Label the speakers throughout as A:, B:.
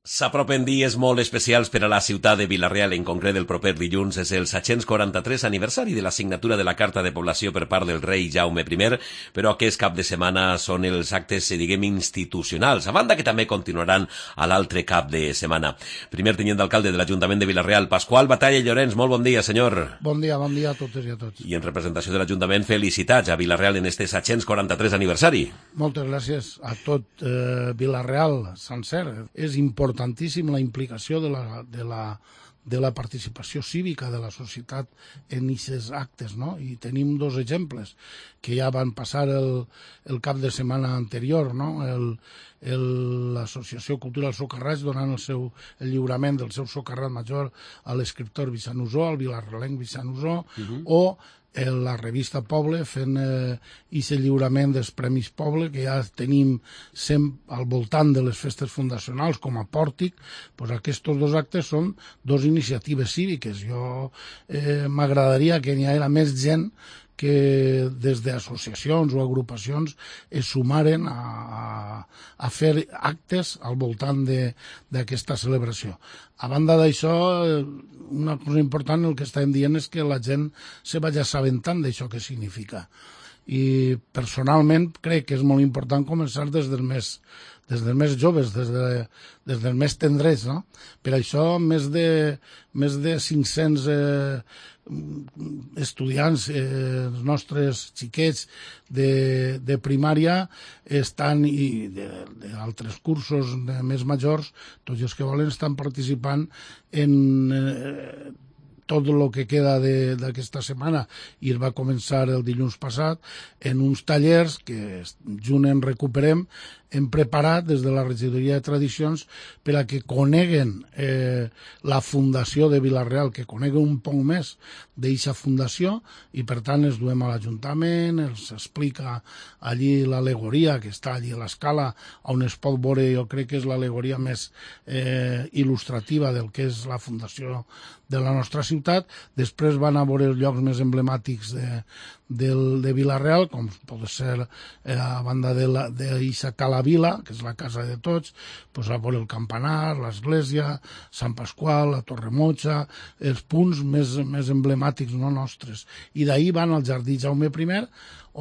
A: S'apropen dies molt especials per a la ciutat de Vila-real, en concret el proper dilluns és el 743 aniversari de la signatura de la Carta de Població per part del rei Jaume I, però aquest cap de setmana són els actes, diguem, institucionals, a banda que també continuaran a l'altre cap de setmana. Primer tinent d'alcalde de l'Ajuntament de Vila-real, Pasqual Batalla i Llorenç, molt bon dia, senyor.
B: Bon dia a totes i a tots.
A: I en representació de l'Ajuntament, felicitats a Vila-real en este 743 aniversari.
B: Moltes gràcies a tot Vila-real sencer. És importantíssim la implicació de la participació cívica de la societat en aquests actes, no? I tenim dos exemples que ja van passar el cap de setmana anterior, no? L'Associació Cultural Socarrats donant el lliurament del seu socarrat major a l'escriptor Vicent Usó, al vilarrealenc Vicent Usó, o la revista Poble fent aquest lliurament dels Premis Poble, que ja tenim sempre al voltant de les festes fundacionals com a pòrtic. Doncs aquests dos actes són dos iniciatives cíviques. Jo m'agradaria que n'hi hagués més gent que des d'associacions o agrupacions es sumaren a fer actes al voltant d'aquesta celebració. A banda d'això, una cosa important, el que estàvem dient és que la gent se vagi assabentant d'això que significa. I personalment crec que és molt important començar des dels més joves, des dels més tendrets, no? Per això més de 500 estudiants, els nostres xiquets de primària estan, i d'altres cursos més majors, tots els que volen estan participant en tot el que queda d'aquesta setmana, i es va començar el dilluns passat en uns tallers que junt en Recuperem hem preparat des de la regidoria de tradicions per a que coneguen la fundació de Vila-real, que coneguen un poc més d'aquesta fundació, i per tant els duem a l'Ajuntament, els explica allí l'al·legoria que està allí a l'escala, on es pot veure, jo crec que és l'al·legoria més il·lustrativa del que és la fundació de la nostra ciutat. Després van a veure els llocs més emblemàtics de Vila-real, com pot ser a banda d'Ixa Cala Vila, que és la casa de tots, doncs a veure el campanar, l'església, Sant Pasqual, la Torremotxa, els punts més emblemàtics no nostres. I d'ahir van al Jardí Jaume I,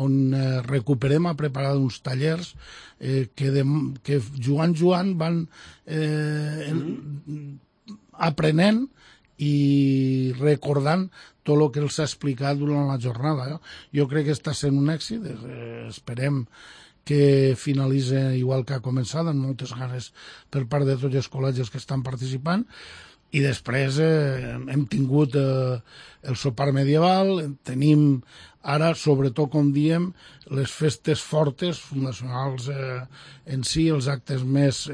B: on Recuperem a preparar uns tallers que jugant van aprenent i recordant tot el que els ha explicat durant la jornada. Jo crec que està sent un èxit, esperem que finalitzi igual que ha començat, amb moltes ganes per part de tots els col·legis que estan participant. I després hem tingut el sopar medieval, tenim ara, sobretot, com diem, les festes fortes, fundacionals en si, els actes més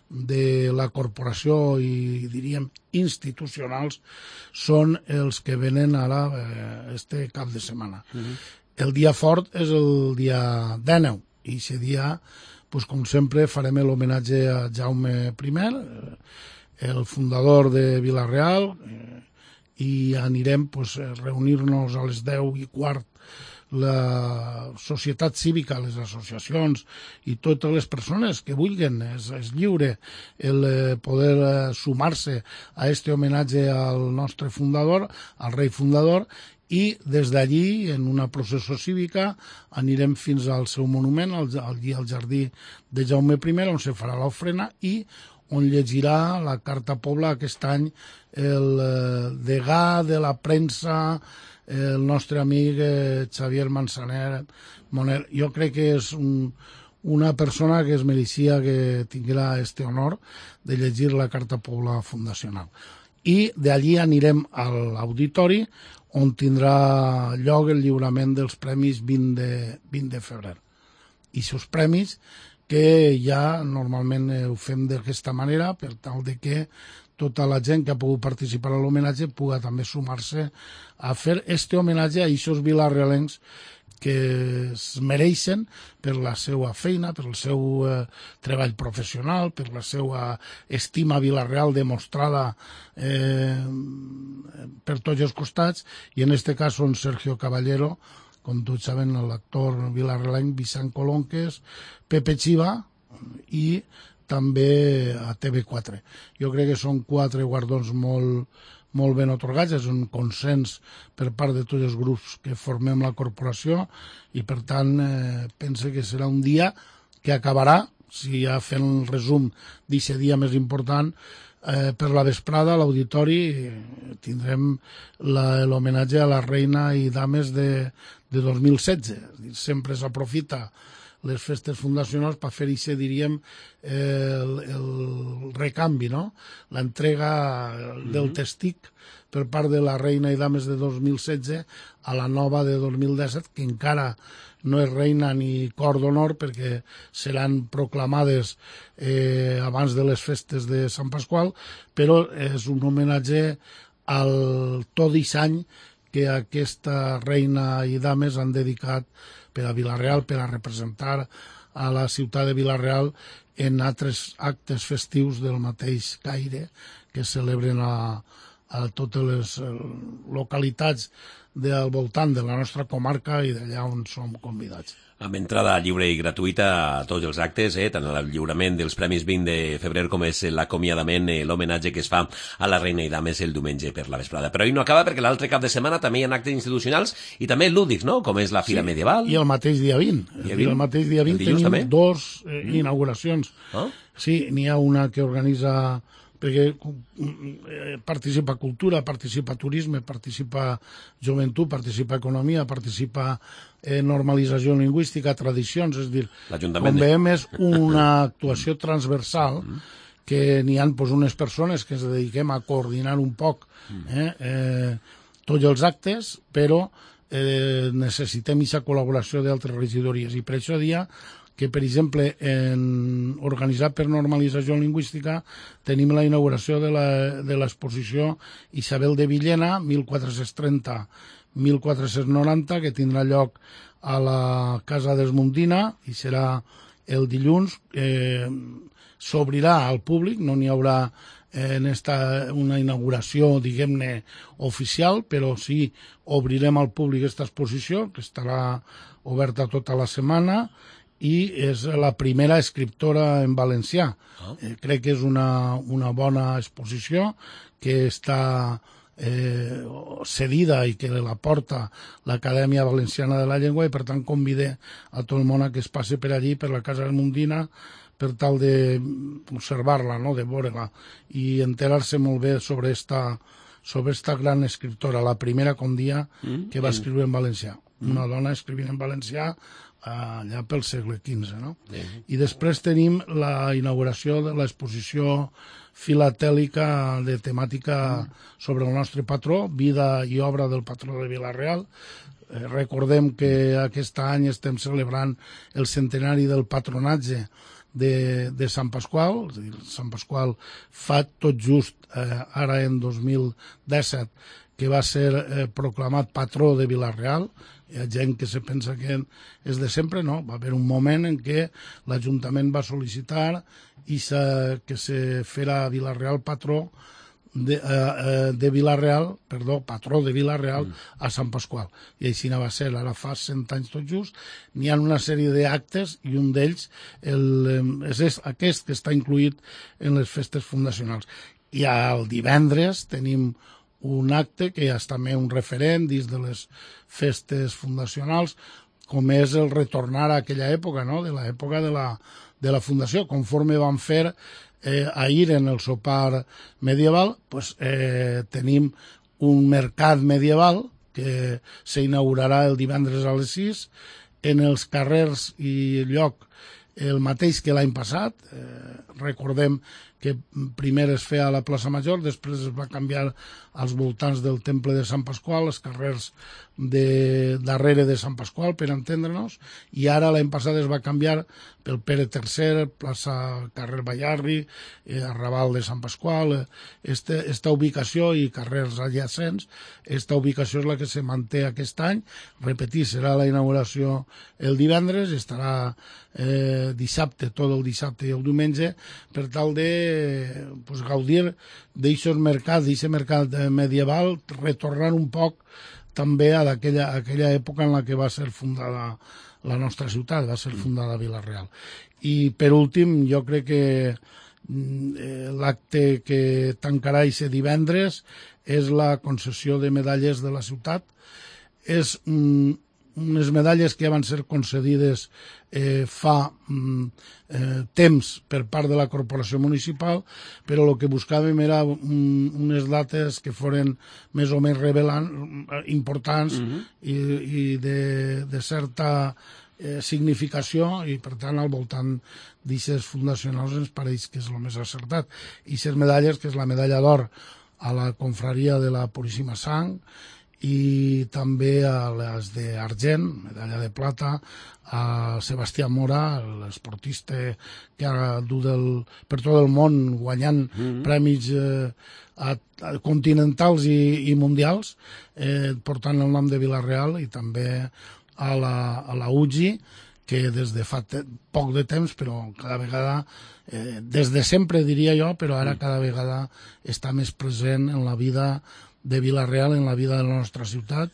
B: de la corporació i, diríem, institucionals, són els que venen ara este cap de setmana. El dia fort és el dia 19, i aquest dia, com sempre, farem l'homenatge a Jaume I, el fundador de Vila-real, i anirem a reunir-nos a les 10:15 la societat cívica, les associacions i totes les persones que vulguin. És lliure el poder sumar-se a aquest homenatge al nostre fundador, al rei fundador, i des d'allí, en una processó cívica, anirem fins al seu monument, al Jardí de Jaume I, on se farà l'ofrena i on llegirà la Carta Pobla aquest any el degà de la premsa, el nostre amic Xavier Manzaner. Jo crec que és una persona que es mereixia que tinguera aquest honor de llegir la Carta Pobla fundacional. I d'allí anirem a l'auditori, on tindrà lloc el lliurament dels premis 20 de febrer. I aquests premis que ja normalment ho fem d'aquesta manera, per tal de que tota la gent que ha pogut participar a l'homenatge pugui també sumar-se a fer aquest homenatge a aquests vilarrealencs que es mereixen per la seva feina, per el seu treball professional, per la seva estima a Vila-real demostrada per tots els costats, i en aquest cas són Sergio Caballero, com tots saben, l'actor vilarrealenc Vicent Colonques, Pepe Chiva i també a TV4. Jo crec que són 4 guardons molt ben atorgats, és un consens per part de tots els grups que formem la corporació i per tant pense que serà un dia que acabarà, si ja fent el resum d'aquest dia més important, per la vesprada a l'auditori tindrem l'homenatge a la reina i dames de 2016. Sempre s'aprofita les festes fundacionals per fer això, diríem, el recanvi, no? L'entrega del testic per part de la reina i dames de 2016 a la nova de 2017, que encara no és reina ni cor d'honor perquè seran proclamades abans de les festes de Sant Pasqual, però és un homenatge al tot any que aquesta reina i dames han dedicat per a Vila-real, per a representar a la ciutat de Vila-real en altres actes festius del mateix caire que es celebren a totes les localitats del voltant de la nostra comarca i d'allà on som convidats.
A: Amb entrada lliure i gratuïta a tots els actes, tant el lliurament dels Premis 20 de febrer com és l'acomiadament, l'homenatge que es fa a la reina i dames el diumenge per la vesprada. Però ahir no acaba perquè l'altre cap de setmana també hi ha actes institucionals i també lúdics, no? Com és la Fira Medieval.
B: I el mateix dia 20. El mateix dia 20 tenim també? 2 inauguracions. Sí, n'hi ha una que organitza perquè participa cultura, participa turisme, participa joventut, participa economia, participa normalització lingüística, tradicions, és a dir, com veiem és una actuació transversal que n'hi ha unes persones que ens dediquem a coordinar un poc tots els actes, però necessitem aquesta col·laboració d'altres regidories i per això dia que, per exemple, organitzat per normalització lingüística, tenim la inauguració de l'exposició Isabel de Villena, 1430-1490, que tindrà lloc a la Casa d'Esmundina i serà el dilluns. S'obrirà al públic, no n'hi haurà una inauguració, diguem-ne, oficial, però sí obrirem al públic aquesta exposició, que estarà oberta tota la setmana, i és la primera escriptora en valencià. Crec que és una bona exposició que està cedida i que la porta l'Acadèmia Valenciana de la Llengua i per tant convide a tot el món a que es passi per allí, per la Casa Mundina, per tal d'observar-la, no? De veure-la i enterar-se molt bé sobre esta gran escriptora, la primera, com dia, que va escriure en valencià. Una dona escrivint en valencià allà pel segle XV, no? I després tenim la inauguració de l'exposició filatèlica de temàtica sobre el nostre patró, vida i obra del patró de Vila-real. Recordem que aquest any estem celebrant el centenari del patronatge de Sant Pasqual. Sant Pasqual fa tot just ara en 2017 que va ser proclamat patró de Vila-real. Hi ha gent que se pensa que és de sempre, no. Va haver un moment en què l'Ajuntament va sol·licitar que se fera Vila-real patró de Vila-real, perdó, patró de Vila-real a Sant Pasqual. I així va ser, ara fa 100 anys tot just. N'hi ha una sèrie d'actes i un d'ells és aquest que està incluït en les festes fundacionals. I el divendres tenim un acte que és també un referent dins de les festes fundacionals, com és el retornar a aquella època, no? De l'època de la fundació, conforme van fer ahir en el sopar medieval, tenim un mercat medieval que s'inaugurarà el divendres a les 6 en els carrers i lloc el mateix que l'any passat. Recordem que primer es feia a la plaça Major, després es va canviar als voltants del Temple de Sant Pasqual, els carrers darrere de Sant Pasqual, per entendre-nos, i ara l'any passat es va canviar pel Pere III, plaça carrer Ballarri, arrabal de Sant Pasqual. Esta ubicació i carrers adjacents, esta ubicació és la que se manté aquest any. Repetir, serà la inauguració el divendres, estarà dissabte, tot el dissabte i el diumenge, per tal de gaudir d'aquest mercat medieval, retornant un poc també a aquella època en la que va ser fundada la nostra ciutat, va ser fundada a Vila-real. I per últim, jo crec que l'acte que tancarà aquest divendres és la concessió de medalles de la ciutat. És unes medalles que ja van ser concedides fa temps per part de la corporació municipal, però el que buscàvem era unes dates que foren més o menys importants i de certa significació, i per tant al voltant d'aixes fundacionals ens pareix que és el més acertat. I aquestes medalles, que és la medalla d'or a la confraria de la Puríssima Sang, i també a les d'argent, medalla de plata, a Sebastià Mora, l'esportista que ha dut per tot el món guanyant premis continentals i mundials, portant el nom de Vila-real, i també a la UGI, que des de fa poc de temps, però cada vegada, des de sempre diria jo, però ara cada vegada està més present en la vida de Vila-real, en la vida de la nostra ciutat,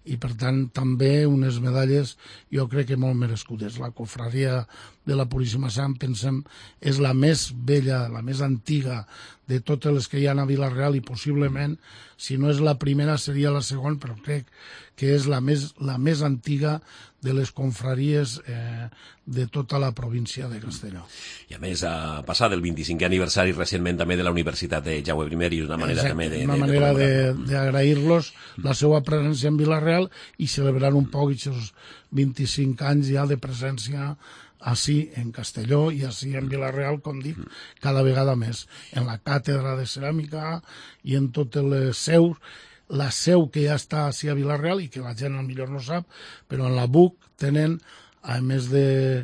B: i per tant també unes medalles jo crec que molt merescudes. La cofraria de la Puríssima Sang, pensem, és la més vella, la més antiga de totes les que hi ha a Vila-real, i possiblement, si no és la primera, seria la segona, però crec que és la més antiga de les confraries de tota la província de Castelló.
A: I a més, a passar del 25è aniversari recentment també de la Universitat de Jaume I, i una manera també de...
B: Una manera d'agrair-los la seva presència en Vila-real i celebrar un poc aquests 25 anys ja de presència així en Castelló i així en Vila-real, com dic, cada vegada més. En la càtedra de ceràmica i en totes les seus, la seu que ja està així a Vila-real i que la gent millor no sap, però en la BUC tenen, a més de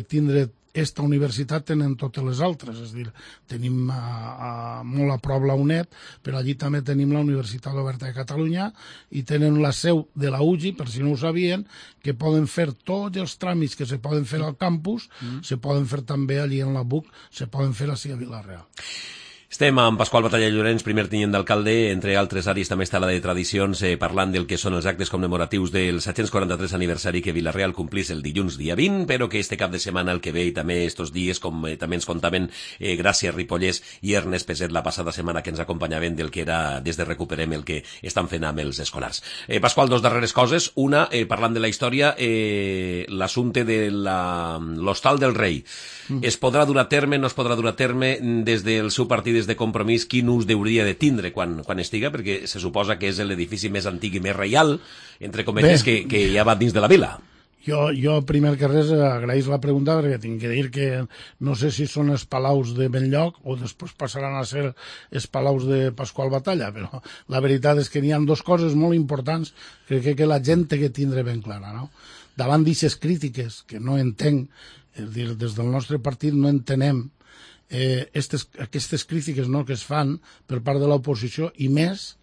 B: tindre esta universitat, tenen totes les altres, és a dir, tenim molt a prop la UNED, però allí també tenim la Universitat Oberta de Catalunya i tenen la seu de la UGI, per si no ho sabien, que poden fer tots els tràmits que se poden fer al campus, se poden fer també allí en la BUC, se poden fer així a Vila-real.
A: Estem amb Pasqual Batalla Llorenç, primer tinent d'alcalde. Entre altres àrees també està la de tradicions, parlant del que són els actes commemoratius del 743 aniversari que Vila-real complís el dilluns dia 20, però que este cap de setmana el que ve, i també estos dies, com també ens contaven Gràcia Ripollès i Ernest Peset la passada setmana, que ens acompanyaven del que era des de Recuperem el que estan fent amb els escolars. Pasqual, dos darreres coses. Una, parlant de la història, l'assumpte de l'Hostal del Rei. Es podrà dur a terme, no es podrà dur a terme des del seu partit, des de Compromís, quin ús hauria de tindre quan estiga, perquè se suposa que és l'edifici més antic i més reial, entre cometes, que hi ha dins de la vila.
B: Jo, primer que res, agraïs la pregunta, perquè tinc que dir que no sé si són els palaus de Benlloc o després passaran a ser els palaus de Pasqual Batalla, però la veritat és que n'hi ha dues coses molt importants que crec que la gent té que tindre ben clara, no? Davant d'aquestes crítiques, que no entenc, és a dir, des del nostre partit no entenem aquestes crítiques, no, que es fan per part de l'oposició, i més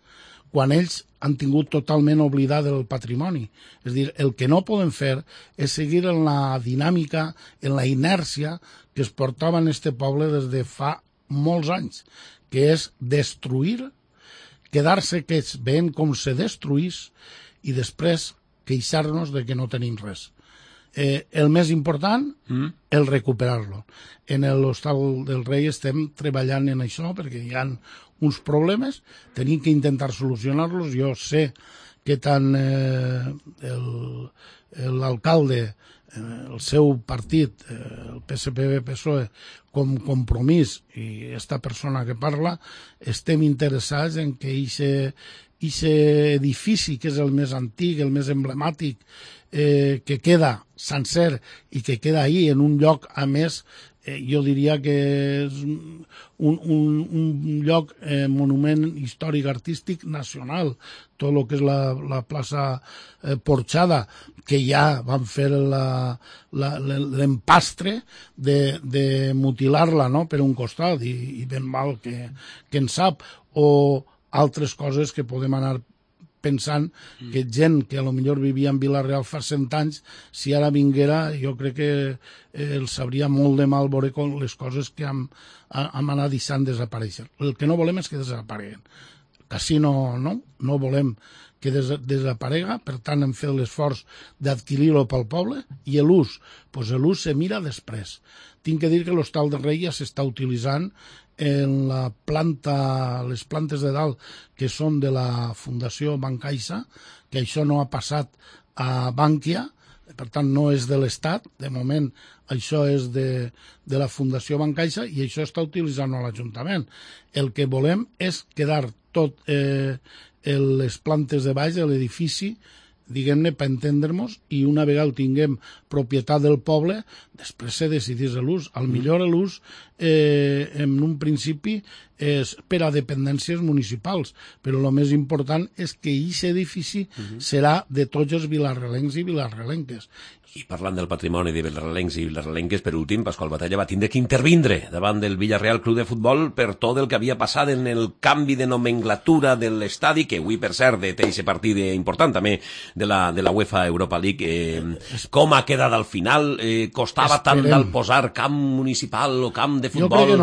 B: quan ells han tingut totalment oblidat el patrimoni. És a dir, el que no poden fer és seguir en la dinàmica, en la inèrcia que es portava en este poble des de fa molts anys, que és destruir, quedar-se que es veient com se destruís i després queixar-nos de que no tenim res. El més important, el recuperar-lo. En l'Hostal del Rei estem treballant en això perquè hi ha uns problemes, tenim que intentar solucionar-los. Jo sé que tant l'alcalde, el seu partit, el PSPB-PSOE, com Compromís i esta persona que parla, estem interessats en que aquest edifici, que és el més antic, el més emblemàtic, que queda sencer i que queda ahí en un lloc, a més, jo diria que és un lloc, monument històric artístic nacional, tot el que és la plaça Porxada, que ja van fer l'empastre de mutilar-la, no?, per un costat, i ben mal que en sap, o altres coses que podem anar pensant que gent que a lo millor vivia en Vila-real fa 100 anys, si ara vinguera, jo crec que els sabria molt de mal veure les coses que hem anat deixant desaparèixer. El que no volem és que desapareguen. Així no volem que desaparega, per tant hem fet l'esforç d'adquirir-lo pel poble, i l'ús se mira després. Tinc que dir que l'Hostal del Rei ja s'està utilitzant en les plantes de dalt que són de la Fundació Bancaixa, que això no ha passat a Bànquia, per tant no és de l'Estat, de moment això és de la Fundació Bancaixa i això està utilitzant l'Ajuntament. El que volem és quedar tot les plantes de baix de l'edifici, diguem-ne, per entendre-nos, i una vegada tinguem propietat del poble, després se decidís l'ús. Al millor l'ús, en un principi, és per a dependències municipals, però el més important és que aquest edifici serà de tots els vilarrelencs i vilarrelenques.
A: I parlant del patrimoni de vilarrelencs i vilarrelenques, per últim, Pasqual Batalla va tindre que intervindre davant del Villarreal Club de Futbol per tot el que havia passat en el canvi de nomenclatura de l'estadi, que avui, per cert, té aquest partit important també de la UEFA Europa League. Com ha quedat al final? Costava tant del posar camp municipal o camp de futbol?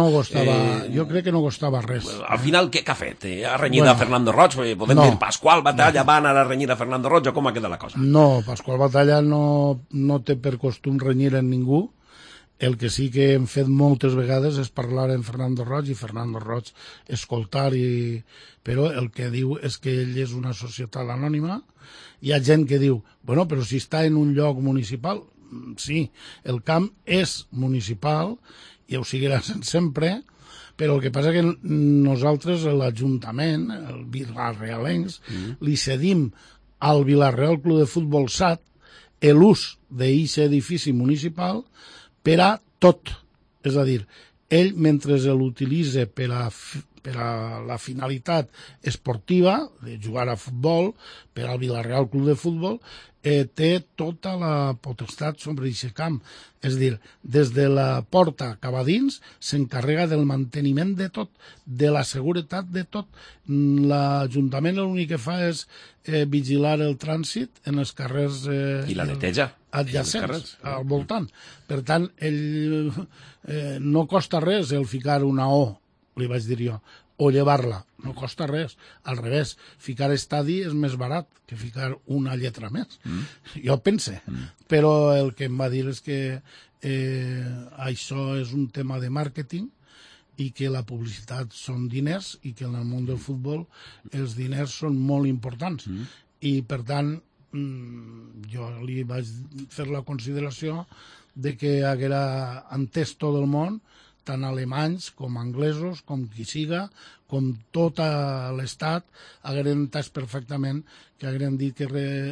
B: Jo crec que no costava res.
A: Al final, què ha fet? Ha renyit a Fernando Roig? Podem dir Pasqual Batalla va anar a renyir a Fernando Roig o com ha quedat la cosa?
B: No, Pasqual Batalla no té per costum renyir a ningú. El que sí que hem fet moltes vegades és parlar amb Fernando Roig i Fernando Roig escoltar, però el que diu és que ell és una societat anònima. Hi ha gent que diu, bueno, però si està en un lloc municipal, sí, el camp és municipal i ho seguirà sent sempre, però el que passa que nosaltres, l'Ajuntament, el Vilarrealencs, li cedim al Vilarreal Club de Futbol SAT l'ús d'aquest edifici municipal per a tot. És a dir, ell, mentre l'utilitza per a la finalitat esportiva, de jugar a futbol, per al Vilarreal Club de Futbol, té tota la potestat sobre aquest camp. És a dir, des de la porta cap a dins s'encarrega del manteniment de tot, de la seguretat de tot. L'Ajuntament l'únic que fa és vigilar el trànsit en els carrers
A: i la neteja
B: adjacents al voltant. Per tant, no costa res el ficar una O, li vaig dir jo, o llevar-la, no costa res. Al revés, ficar estadi és més barat que ficar una lletra més. Jo pense. Però el que em va dir és que això és un tema de màrqueting i que la publicitat són diners i que en el món del futbol els diners són molt importants. I, per tant, jo li vaig fer la consideració de que haguera entès tot el món, tant alemanys com anglesos, com qui siga, com tot l'estat, hagueren entès perfectament que hagueren dit que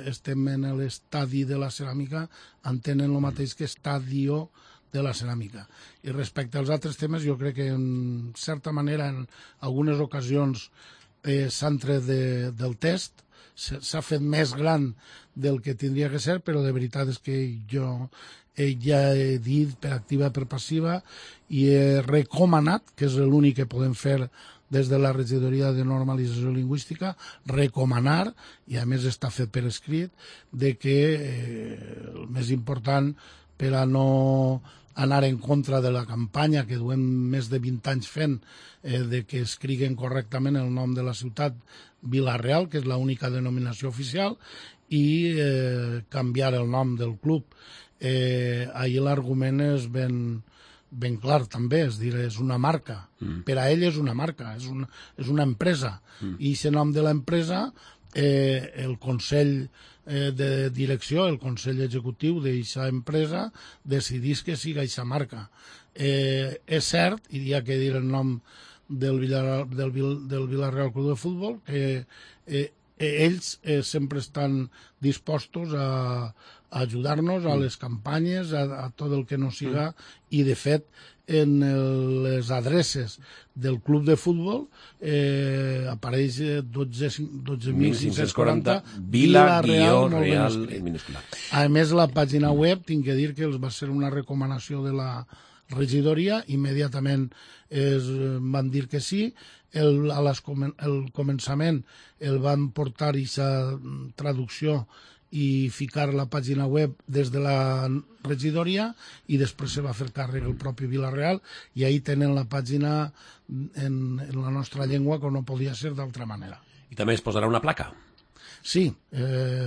B: estem en l'estadi de la ceràmica, entenen el mateix que estadio de la ceràmica. I respecte als altres temes, jo crec que en certa manera en algunes ocasions s'han tret del test, s'ha fet més gran del que tindria que ser, però de veritat és que jo ja he dit per activa i per passiva i he recomanat, que és l'únic que podem fer des de la regidoria de normalització lingüística, recomanar, i a més està fet per escrit, de que el més important per a no anar en contra de la campanya que duem més de 20 anys fent de que escriguen correctament el nom de la ciutat Vila-real, que és l'única denominació oficial, i canviar el nom del club. Ahir l'argument és ben clar també, és dir, és una marca. Per a ell és una marca, és una empresa. I aquest nom de l'empresa, el Consell de Direcció, el Consell Executiu d'aquesta empresa, decidís que siga aquesta marca. És cert, i hi ha que dir el nom del Vilarreal Club de Futbol, que ells sempre estan dispostos a ajudar-nos a les campanyes, a tot el que no siga, i de fet en les adreces del club de futbol apareix 12.540
A: Vila-real
B: minúscula. A més, la pàgina web, tinc que dir que els va ser una recomanació de la regidoria, immediatament van dir que sí, al començament el van portar aquesta traducció i ficar la pàgina web des de la regidoria i després se va fer càrrec el propi Vila-real i ahí tenen la pàgina en la nostra llengua, com no podia ser d'altra manera.
A: I també es posarà una placa.
B: Sí,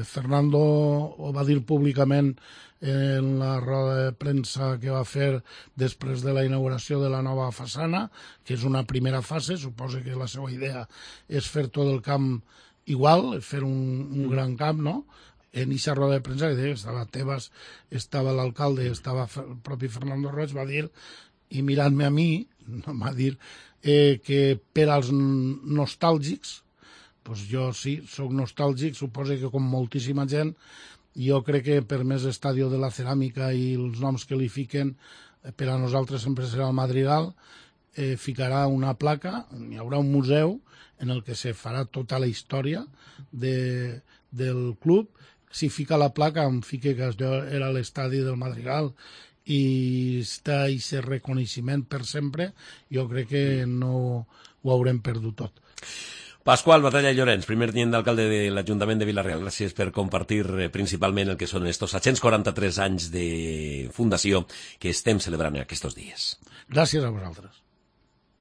B: Fernando ho va dir públicament en la roda de premsa que va fer després de la inauguració de la nova façana, que és una primera fase. Suposo que la seva idea és fer tot el camp igual, fer un gran camp, no? En aquesta roda de premsa, que estava Tebas, estava l'alcalde, estava el propi Fernando Roig, va dir, i mirant-me a mi, va dir que per als nostàlgics, doncs jo sí, sóc nostàlgic, suposo que com moltíssima gent, jo crec que per més Estadio de la Ceràmica i els noms que li fiquen, per a nosaltres sempre serà el Madrigal, ficarà una placa, hi haurà un museu en el que se farà tota la història del club. Si fica la placa, em fica que era l'estadi del Madrigal i està aquest reconeixement per sempre, jo crec que no ho haurem perdut tot.
A: Pasqual Batalla Llorenç, primer tinent d'alcalde de l'Ajuntament de Vila-real, gràcies per compartir principalment el que són estos 743 anys de fundació que estem celebrant aquests dies.
B: Gràcies a vosaltres.